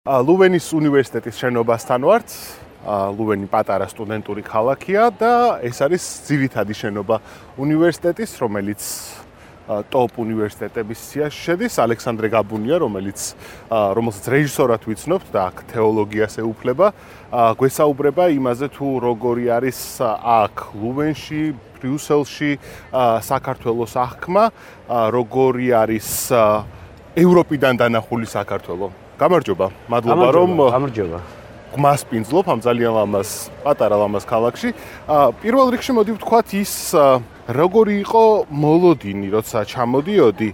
ლუვენის უნივერსიტეტის შენობასთან ვართ. ლუვენი პატარა სტუდენტური ქალაქია და ეს არის ძირითადი შენობა უნივერსიტეტის, რომელიც ტოპ უნივერსიტეტების სიაში შედის. ალექსანდრე გაბუნია, რომელსაც რეჟისორად ვიცნობთ და აქ თეოლოგიას ეუფლება, გვესაუბრება იმაზე თუ როგორი არის აქ ლუვენში, ბრიუსელში საქართველოს აღქმა, როგორი არის ევროპიდან დანახული საქართველო. გამარჯობა, მადლობა რომ გამარჯობა. გმასპინძლობ ამ ძალიან ლამაზ, პატარა ლამაზ ქალაქში. პირველ რიგში მოდი ვთქვათ ის როგორი იყო მოლოდინი, როცა ჩამოდიოდი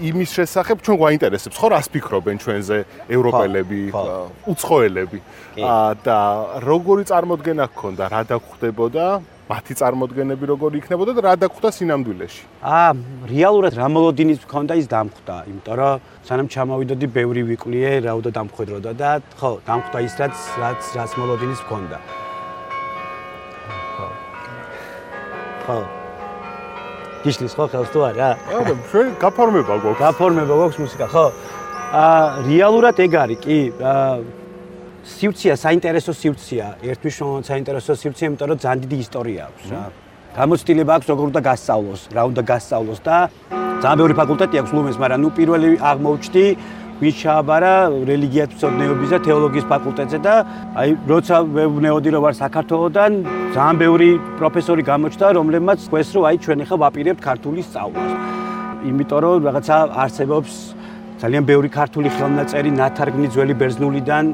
იმის შესახებ, ჩვენ გვაინტერესებს ხო რას ფიქრობენ ჩვენზე ევროპელები, უცხოელები და როგორი წარმოდგენა გქონდა, რა დაგხვდებოდა, მათი წარმოდგენები როგორი იქნებოდა და რა დაგხვდა სინამდვილეში? რეალურად რა მოლოდინის გქონდა ის დამხვდა, იმიტომ რომ სანამ ჩამოვიდოდი, ბევრი ვიკვლიე, რა უნდა დამხვედროდა და ხო, დამხვდა ის რაც მოლოდინის გქონდა. ხო. გიშლის ხო ხელს თუ არა? ჩვენ გაფორმება გვაქვს. გაფორმება გვაქვს მუსიკა, ხო? რეალურად ეგ არის, კი. სივრცეა, საინტერესო სივრცეა, ერთმნიშვნელოვანი საინტერესო სივრცეა, იმიტომ რომ ძალიან დიდი ისტორია აქვს რა. გამოცდილება აქვს როგორ უნდა გასწავლოს, რა უნდა გასწავლოს და ძალიან ბევრი ფაკულტეტი აქვს ლუვენს, მაგრამ ნუ პირველი აღმოჩნდი ვინც ჩააბარა რელიგიათმცოდნეობის და თეოლოგიის ფაკულტეტზე და აი როცა ვეუბნეოდი რომ ვარ საქართველოდან, ძალიან ბევრი პროფესორი გამოჩნდა, რომლებმაც ხვეს რომ აი ჩვენ ახლა ვაპირებთ ქართული სწავლას. იმიტომ რომ რაღაცა არსებობს ძალიან ბევრი ქართული ხელნაწერი ნათარგმნი ძველი ბერძნულიდან,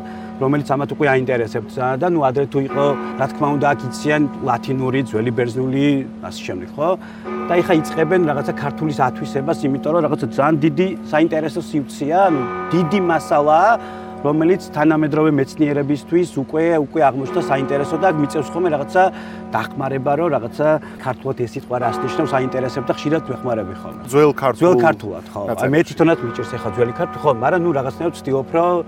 რომელიც ამათ უკვე აინტერესებთ და ნუ ადრე თუ იყო, რა თქმა უნდა, აქ იციან ლათინური, ძველი ბერძნული, ასე შემდეგ, ხო? და ეხა იწყებენ რაღაცა ქართულის ათვისებას, იმიტომ რომ რაღაცა ძალიან დიდი საინტერესო სივრცეა, ანუ დიდი მასალაა, რომელიც თანამედროვე მეცნიერებისთვის უკვე აღმოჩნდა საინტერესო და მიწევს ხოლმე რაღაცა დახმარება, რომ რაღაცა ქართულად ეს სიტყვა რას ნიშნავს, აინტერესებს და ხშირად ვეხმარები ხოლმე. ძველ ქართულად, ხო. აი მე თვითონაც მიჭერს ახლა ძველი ქართული, ხო, მაგრამ ნუ რაღაცნაირად ვცდილობ, რომ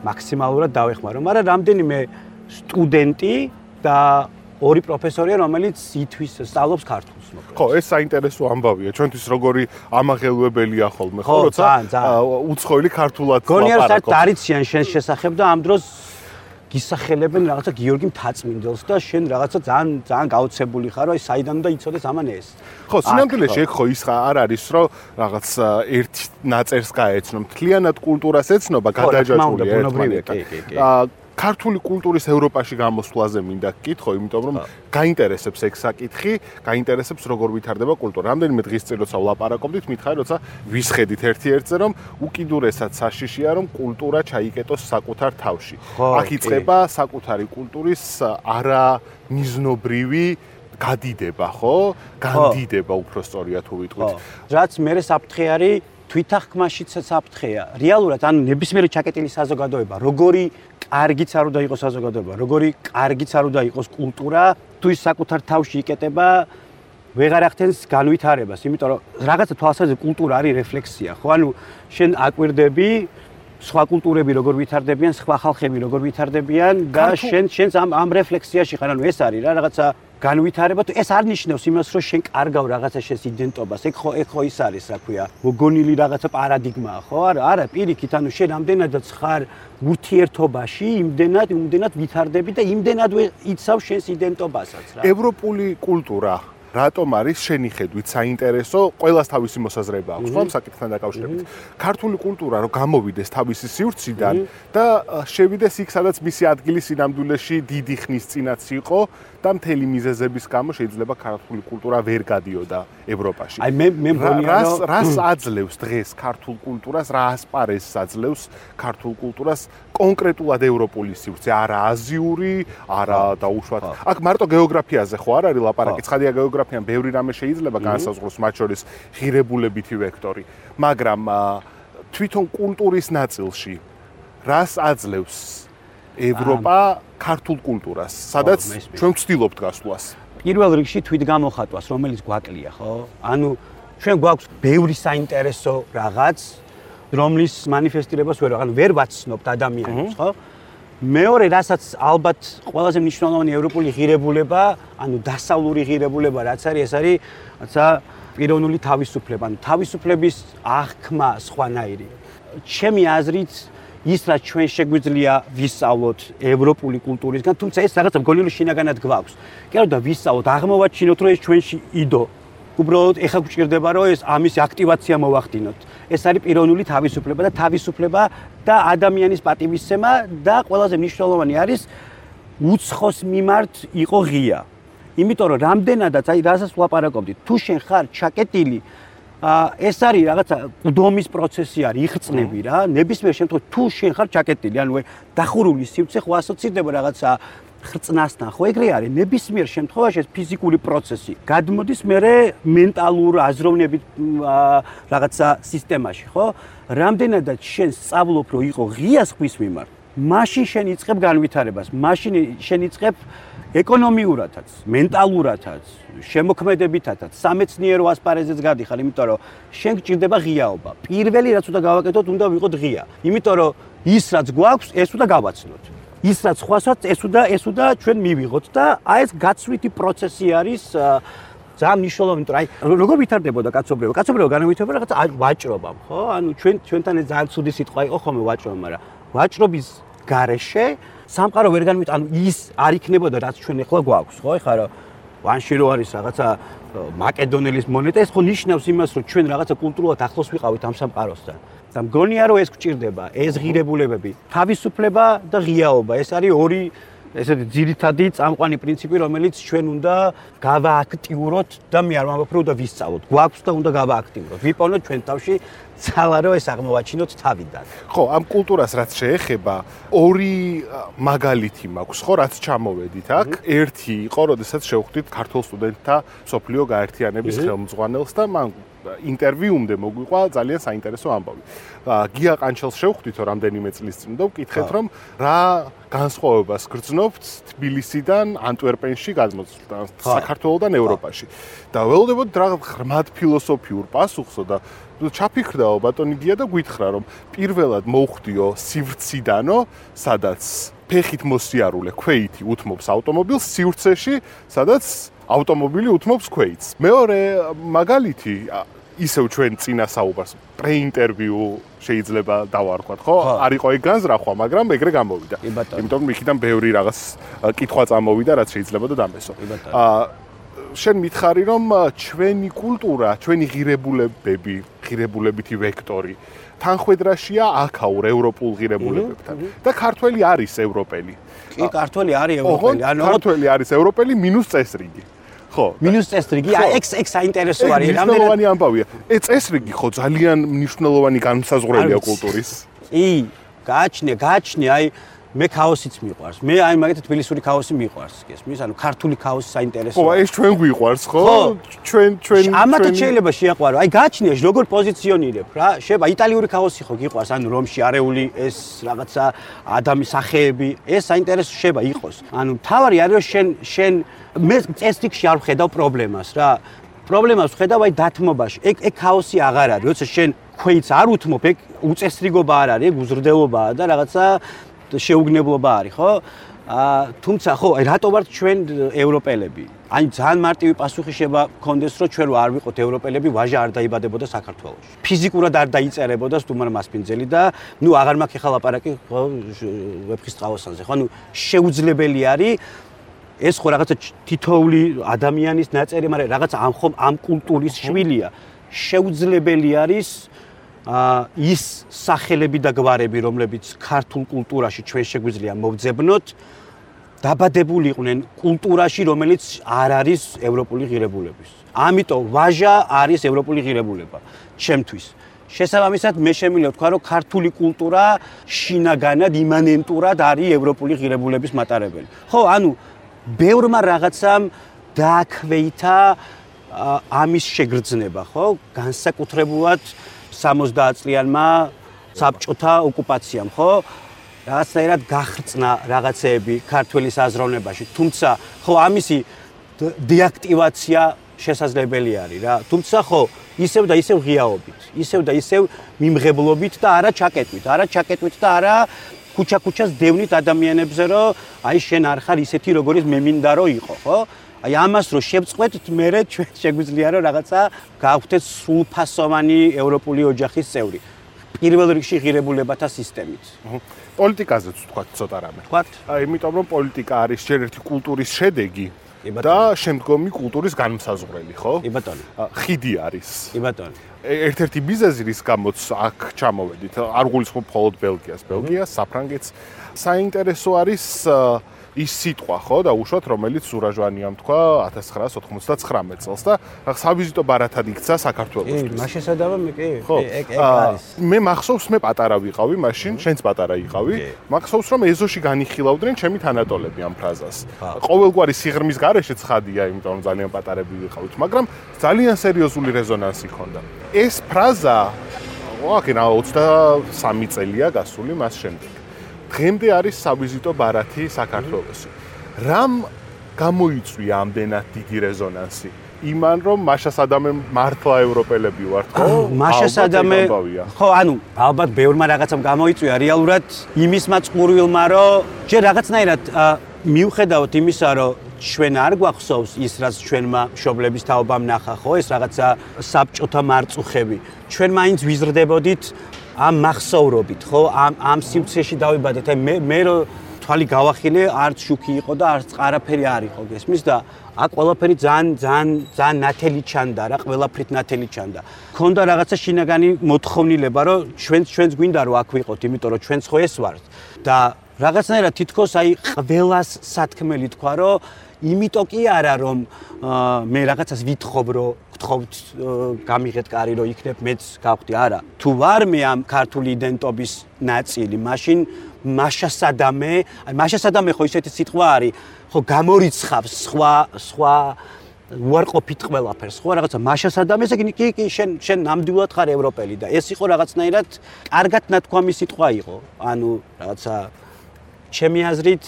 მაქსიმალურად დავეხმარო, მაგრამ რამდენიმე სტუდენტი და ორი პროფესორია, რომელიც ითვის სწავლობს ქართულს. ხო, ეს საინტერესო ამბავია. ჩვენთვის როგორი ამაღელვებელია ხოლმე, ხო, როცა უცხოელი ქართულად გონიერ საერთოდ არიციან შენს შესახებ და ამ დროს გისახელებენ რაღაცა გიორგი მთაწმინდელს და შენ რაღაცა ძალიან გაოცებული ხარ, რომ საიდან უნდა იცოდეს ამან ეს. ხო, სინამდვილეში ეგ ხო ის არ არის, რომ რაღაც ერთ ნაწერს გაეცნო, მთლიანად კულტურას ეცნობა, გადაჯაჭვულია ერთმანეთთან. ქართული კულტურის ევროპაში გამოსვლაზე მინდა გკითხო, იმიტომ რომ გაინტერესებს ეგ საკითხი, გაინტერესებს როგორ ვითარდება კულტურა. რამდენიმე დღის წინ როცა ვლაპარაკობდით, მითხარი როცა ვისხედით ერთ-ერთზე, რომ უკიდურესად საშიშია, რომ კულტურა ჩაიკეტოს საკუთარ თავში. აქ იწყება საკუთარი კულტურის არამიზნობრივი გადიდება, ხო? განდიდება უფრო სწორია თუ ვიტყვით. რაც მე საფრთხე არის თვითახმაშიც საფრთხეა. რეალურად ანუ ნებისმიერი ჩაკეტილი საზოგადოება, როგორი კარგიც არ უნდა იყოს საზოგადოება, როგორი კარგიც არ უნდა იყოს კულტურა, თუ ის საკუთარ თავში იკეტება, ვეღარ ახდენს განვითარებას, იმიტომ რომ რაღაცა თვალსაზრისით კულტურა არის რეფლექსია, ხო? ანუ შენ აკვირდები სხვა კულტურები როგორ ვითარდებიან, სხვა ხალხები როგორ ვითარდებიან და შენს ამ რეფლექსიაში ხარ, ანუ ეს არის რა რაღაცა განვითარება, ეს არ ნიშნავს იმას, რომ შენ კარგავ რაღაცა შენს იდენტობას. ეგ ხო ის არის, რა ქვია, მოგონილი რაღაცა პარადიგმაა, ხო? არა, პირიქით, ანუ შენ ამდენადაც ხარ ურთიერთობაში, იმდენად ვითარდები და იმდენად იცავ შენს იდენტობასაც რა. ევროპული კულტურა რატომ არის შენი ხედვით საინტერესო? ყველას თავისი მოსაზრება აქვს, ხო, ამ საკითხთან დაკავშირებით. ქართული კულტურა რომ გამოვიდეს თავისი სივრციდან და შევიდეს იქ, სადაც მისი ადგილი სინამდვილეში დიდი ხნის წინაც იყო და მთელი მიზეზების გამო შეიძლება ქართული კულტურა ვერ გადიოდა ევროპაში. აი მე მგონია რომ რას აძლევს დღეს ქართულ კულტურას, რა ასპარეზს აძლევს ქართულ კულტურას კონკრეტულად ევროპული სივრცე, არა აზიური, არა დაუშვათ. აქ მარტო გეოგრაფიაზე ხო არ არის ლაპარაკი, ცხადია გეოგრაფიამ ბევრი რამე შეიძლება განსაზღვროს, მათ შორის ღირებულებითი ვექტორი, მაგრამ თვითონ კულტურის ნაწილში რას აძლევს ევროპა ქართულ კულტურას, სადაც ჩვენ ვცდილობთ გასვლას? პირველ რიგში თვითგამოხატვას, რომელიც გვაკლია, ხო? ანუ ჩვენ გვაქვს ბევრი საინტერესო რაღაც, რომლის მანიფესტირებას ვერ ვაცნობთ ადამიანებს, ხო? მეორე, რასაც ალბათ ყველაზე მნიშვნელოვანი ევროპული ღირებულება, ანუ დასავლური ღირებულება, რაც არის, ეს არის რაცა პიროვნული თავისუფლება, ანუ თავისუფლების აღქმა სხვანაირი. ჩემი აზრით ის რაც ჩვენ შეგვიძლია ვისწავლოთ ევროპული კულტურისგან, თუმცა ეს რაღაცა მგონი შინაგანად გვაქვს. კი არა და ვისწავლოთ, აღმოვაჩინოთ, რომ ეს ჩვენში იდო. უბრალოდ ეხა გვჭირდება, რომ ეს ამის აქტივაცია მოვახდინოთ. ეს არის პიროვნული თავისუფლება და თავისუფლება და ადამიანის პატივისცემა და ყველაზე მნიშვნელოვანი არის უცხოს მიმართ იყო ღია. იმიტომ რომ რამდენადაც აი რასაც ვლაპარაკობდით, თუ შენ ხარ ჩაკეტილი, ეს არის რაღაცა ყდომის პროცესი არის, იხწნები რა, ნებისმიერ შემთხვევაში თუ შენ ხარ ჩაკეტილი, ანუ დახურული სივრცე ხო ასოცირდება რაღაცა ხრწნასთან, ხო ეგრე არის, ნებისმიერ შემთხვევაში ეს ფიზიკური პროცესი გადმოდის მერე მენტალურ აზროვნებით რაღაცა სისტემაში, ხო? რამდენადაც შენ სწავლობ, რომ იყო ღია ხვის მიმართ, მაშინ შენ იწყებ განვითარებას, მაშინ შენ იწყებ ეკონომიურადაც, მენტალურადაც, შემოქმედებითადაც, სამეცნიერო ასპარეზეც გადიხარ, იმიტომ რომ შენ გჭირდება ღიაობა. პირველი რაც უნდა გავაკეთოთ, უნდა ვიყოთ ღია. იმიტომ რომ ის რაც გვაქვს, ეს უნდა გავაცნოთ. ის რაც ხვასაც, ეს უნდა ჩვენ მივიღოთ და აი ეს გაცვლითი პროცესი არის ძალიან მნიშვნელოვანი, იმიტომ რომ აი როგორ ვითარდებოდა კაცობრიობა? კაცობრიობა განავითარდება რაღაცა ვაჭრობამ, ხო? ანუ ჩვენთან ეს ძალიან ცუდი სიტყვა იყო ხოლმე ვაჭრობა, მაგრამ ვაჭრობის გარეშე სამყარო ვერ განვითარდება, ანუ ის არ იქნებოდა რაც ჩვენ ახლა გვაქვს, ხო? ეხლა რომ ვანში რო არის რაღაცა მაკედონელის მონეტა, ეს ხო ნიშნავს იმას, რომ ჩვენ რაღაცა კულტურულად ახლოს ვიყავით ამ სამყაროსთან. და მგონია რომ ეს გვჭირდება, ეს ღირებულებები, თავისუფლება და ღიაობა. ეს არის ორი ესეთი ძირითადი წამყვანი პრინციპი, რომელიც ჩვენ უნდა გავააქტიუროთ და მე არ ვამბობ, რომ უნდა ვისწავლოთ. გვაქვს და უნდა გავააქტიუროთ. ვიპოვნოთ ჩვენ თავში ძალა, რომ ეს აღმოვაჩინოთ თავიდან. ხო, ამ კულტურას რაც შეეხება, ორი მაგალითი მაქვს, ხო, რაც ჩამოვედით აქ. ერთი იყო, როდესაც შევხვდით ქართულ სტუდენტთა სოფლიო გაერთიანების ხელმძღვანელს და მან ინტერვიუმდე მოგვიყვა ძალიან საინტერესო ამბავი. გია ყანჩელს შევხვდით რამდენიმე წლის წინ და ვკითხეთ, რომ რა განსხვავებას გრძნობთ თბილისიდან ანტვერპენში გადმოსვლიდან, საქართველოსთან ევროპაში. და ველოდებოდ რა ღრმად ფილოსოფიურ პასუხსო და ჩაფიქრდაო ბატონი გია და გითხრა, რომ პირველად მოვხვდიო სივრციდანო, სადაც ფეხით მოსიარულე ქვეითი უთმობს ავტომობილს სივრცეში, სადაც ავტომობილი უთმობს ქვეითს. მეორე მაგალითი ისევ ჩვენ წინა საუბარს პრეინტერვიუ შეიძლება დავარქვათ, ხო? არ იყო ეგ განზრახვა, მაგრამ ეგრე გამოვიდა. იმიტომ რომ იქიდან ბევრი რაღაც კითხვა წამოვიდა, რაც შეიძლება და დამესო. შენ მითხარი, რომ ჩვენი კულტურა, ჩვენი ღირებულებითი ვექტორი თანხვედრაშია აქაურ ევროპულ ღირებულებებთან და ქართველი არის ევროპელი. კი, ქართველი არის ევროპელი. ანუ ქართველი არის ევროპელი მინუს წესრიგი. ხო. მინუს წესრიგი, ეგ საინტერესო არის. მნიშვნელოვანი ამბავია. ეს წესრიგი ხო ძალიან მნიშვნელოვანი განმსაზღვრელია კულტურის. კი, გააჩნია, აი მე ქაოსიც მიყვარს. მე აი მაგათი თბილისური ქაოსი მიყვარს. გესმის? ანუ ქართული ქაოსი საინტერესოა. ხო, ეს ჩვენ გვიყვარს, ხო? ჩვენ ამათაც შეიძლება შეაყვარო. აი გააჩნია როგორ პოზიციონირებ რა. შეიძლება იტალიური ქაოსი ხო გიყვარს, ანუ რომში არეული ეს რაღაცა ადამიანის სახეები, ეს საინტერესო შეიძლება იყოს. ანუ თავარი არის რომ შენ მე წესრიგში არ ვხედავ პრობლემას რა. პრობლემას ვხედავ აი დათმობაში. ეგ ქაოსი აღარ არის. როცა შენ ქვეითს არ უთმობ, ეგ უწესრიგობა არ არის, ეგ უზრდელობაა და რაღაცა შეუგნებლობა არის, ხო? თუმცა ხო, აი რატო ვართ ჩვენ ევროპელები? აი ძალიან მარტივი პასუხი შეიძლება გქონდეს, რომ ჩვენ არ ვიყოთ ევროპელები, ვაჟა არ დაიბადებოდა საქართველოში. ფიზიკურად არ დაიწერებოდა სტუმარ მასპინძელი და ნუ აღარ მაქვს ახლა ლაპარაკი, ხო, ვეფხის წყალოსანზე, ხო? ანუ შეუძლებელი არის ეს ხო რაღაცა თითოეული ადამიანის ნაწერი, მაგრამ რაღაცა ამ კულტურის შვილია. შეუძლებელი არის ის სახელები და გვარები, რომლებიც ქართულ კულტურაში ჩვენ შეგვიძლია მოვძებნოთ, დაბადებული იყვნენ კულტურაში, რომელიც არ არის ევროპული ღირებულების. ამიტომ ვაჟა არის ევროპული ღირებულება ჩემთვის. შესაბამისად მე შემიძლია ვთქვა, რომ ქართული კულტურა შინაგანად იმანენტურად არის ევროპული ღირებულების მატარებელი. ხო, ანუ ბევრმა რაღაცამ დააქვეითა ამის შეგრძნება, ხო? განსაკუთრებულად 60 წლიანმა საბჭოთა ოკუპაციამ, ხო? რაღაცნაირად გახრწნა რაღაცეები ქართველის აზროვნებაში, თუმცა ხო ამისი დეაქტივაცია შესაძლებელი არის რა. თუმცა ხო ისევ და ისევ ღიაობით, ისევ და ისევ მიმღებლობით და არა ჩაკეტვით და არა ქუჩა-ქუჩას დევნით ადამიანებზე, რომ აი შენ არ ხარ ისეთი როგორიც მე მინდა რომ იყო, ხო? აი ამას რო შევწყვეტთ, მერე ჩვენ შეგვიძლია რომ რაღაცა გავხდეთ სრულფასოვანი ევროპული ოჯახის წევრი. პირველ რიგში ღირებულებათა სისტემით. პოლიტიკაზეც ვთქვათ ცოტა რამე. ვთქვათ? იმიტომ რომ პოლიტიკა არის ჯერ ერთი კულტურის შედეგი და შემდგომი კულტურის განმსაზღვრელი, ხო? კი ბატონო. ხიდი არის. კი ბატონო. ერთ-ერთი მიზეზი რის გამოც აქ ჩამოვედით, არ გულისხმობ მხოლოდ ბელგიას, საფრანგეთს. საინტერესო არის ის სიტყვა, ხო, და უშუალოდ რომელიც სურაჟვანიამ თქვა 1999 წელს და სავიზიტო ბარათად იქცა საქართველოსთვის. კი, მას შესაძლოა მე კი, ეგ არის. მე მახსოვს, მე პატარა ვიყავი მაშინ, შენც პატარა იყავი. მახსოვს, რომ ეზოში განიხილავდნენ ჩემი თანატოლები ამ ფრაზას. ყოველგვარი სიღრმის გარეშე ცხადია, იმიტომ რომ ძალიან პატარები ვიყავით, მაგრამ ძალიან სერიოზული რეზონანსი ჰქონდა. ეს ფრაზა, ვაკენა 23 წელია გასული მას შემდეგ. დღემდე არის სავიზიტო ბარათი საქართველოში. რამ გამოიწვია ამდენად დიდი რეზონანსი? იმან რომ მაშა სადამე მართლა ევროპელები ვართ, ხო? მაშა სადამე ხო, ანუ ალბათ ბევრმა რაღაცამ გამოიწვია რეალურად იმის მაწყურვილმა, რომ ჯერ რაღაცნაირად მიუხედავად იმისა, რომ ჩვენ არ გვახსოვს ის, რაც ჩვენმა მშობლების თაობამ ნახა, ხო, ეს რაღაცა საბჭოთა მარწუხები. ჩვენ მაინც ვიზრდებოდით ამ მახსოვრობით, ხო, ამ სივრცეში დავიბადეთ. მე რო თვალი გავახილე, არც შუქი იყო და არც არაფერი არ იყო, გესმის და აქ ყველაფერი ძალიან ნათელი ჩანდა რა, ყველაფრით ნათელი ჩანდა. ქონდა რაღაცა შინაგანი მოთხოვნილება, რომ ჩვენც გვინდა რომ აქ ვიყოთ, იმიტომ რომ ჩვენც ხო ეს ვართ და რაღაცნაირად თითქოს აი ყველას სათქმელი თქვა, რომ იმიტომ კი არა რომ მე რაღაცას ვითხოვ რომ გთხოვთ გამიღეთ კარი რომ იქნებ მეც გავხდი არა თუ ვარ მე ამ ქართული იდენტობის ნაწილი მაშინ მაშასადამე ხო ისეთი სიტყვა არის ხო გამორიცხავს სხვა უარყოფით ყველაფერს ხო რაღაცა მაშასადამე ესე კი შენ ნამდვილად ხარ ევროპელი და ეს იყო რაღაცნაირად კარგად ნათქვამი სიტყვა იყო ანუ რაღაცა ჩემი აზრით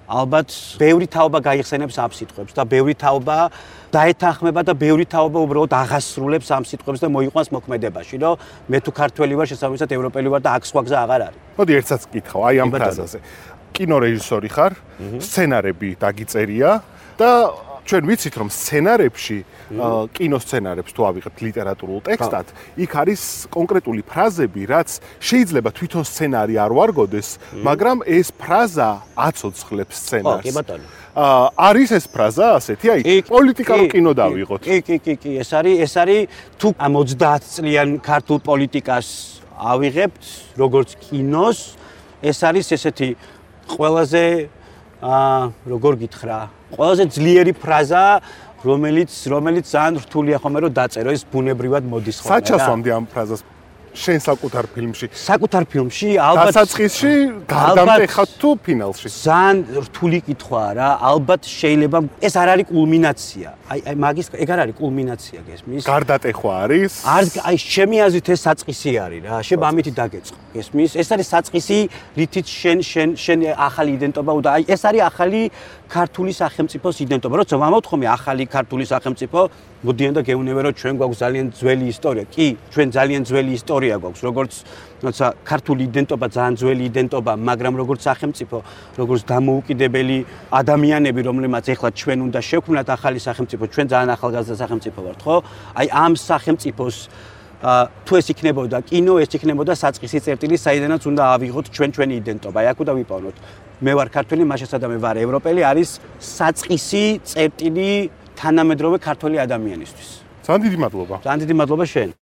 ალბათ ბევრი თაობა გაიხსენებს ამ სიტყვებს და ბევრი თაობა დაეთანხმება და ბევრი თაობა უბრალოდ აღასრულებს ამ სიტყვებს და მოიყვანს მოქმედებაში, რომ მე თუ ქართველი ვარ, შესაბამისად ევროპელი ვარ და აქ სხვა გზა აღარ არის. მოდი ერთსაც გკითხავ, აი ამ ფრაზაზე. კინორეჟისორი ხარ, სცენარები დაგიწერია და ჩვენ ვიცით რომ სცენარებში კინოსცენარებს თუ ავიღებთ ლიტერატურულ ტექსტად, იქ არის კონკრეტული ფრაზები, რაც შეიძლება თვითონ სცენარი არ ვარგოდეს, მაგრამ ეს ფრაზა აცოცხლებს სცენარს. კი ბატონო. არის ეს ფრაზა ასეთი, აი პოლიტიკურ კინო დავიღოთ. კი, ეს არის თუ ამ 30 წლიან ქართულ პოლიტიკას ავიღებთ, როგორც კინოს, ეს არის ესეთი ყველაზე როგორ გითხრა, ყველაზე ძლიერი ფრაზა, რომელიც ძალიან რთულია ხომ რომ დაწერო, ეს ბუნებრივად მოდის ხოლმე რა. საჩასვამდე ამ ფრაზას შენ საკუთარ ფილმში. საკუთარ ფილმში ალბათ დასაწყისში გარდამტეხავთ თუ ფინალში. ძალიან რთული კითხვაა რა. ალბათ შეიძლება ეს არ არის კულმინაცია. აი მაგის ეგ არ არის კულმინაცია გესმის? გარდატეხვა არის? აი ჩემი აზრით ეს საწყისი არის რა. შენ ამითი დაგეწყო. გესმის? ეს არის საწყისი, რითიც შენ ახალი იდენტობა უნდა. აი ეს არის ახალი ქართული სახელმწიფოს იდენტობა. როცა ვამოვთხოვე ახალი ქართული სახელმწიფო, მოდიან და გეუბნები რომ ჩვენ გვაქვს ძალიან ძველი ისტორია. კი, ჩვენ ძალიან ძველი ისტორია გვაქვს, როგორც თუმცა ქართული იდენტობა ძალიან ძველი იდენტობა, მაგრამ როგორც სახელმწიფო, როგორც დამოუკიდებელი ადამიანები, რომლებმაც ეხლა ჩვენ უნდა შევქმნათ ახალი სახელმწიფო, ჩვენ ძალიან ახალგაზრდა სახელმწიფო ვართ, ხო? აი ამ სახელმწიფოს თუ ეს იქნებოდა კინო, ეს იქნებოდა საწყისი წერტილი, საიდანაც უნდა ავიღოთ ჩვენი იდენტობა. აი აქ უნდა ვიპოვნოთ. მე ვარ ქართველი, მაშასადამე ვარ ევროპელი, არის საწყისი წერტილი თანამედროვე ქართველი ადამიანისთვის. ძალიან დიდი მადლობა. ძალიან დიდი მადლობა შენ.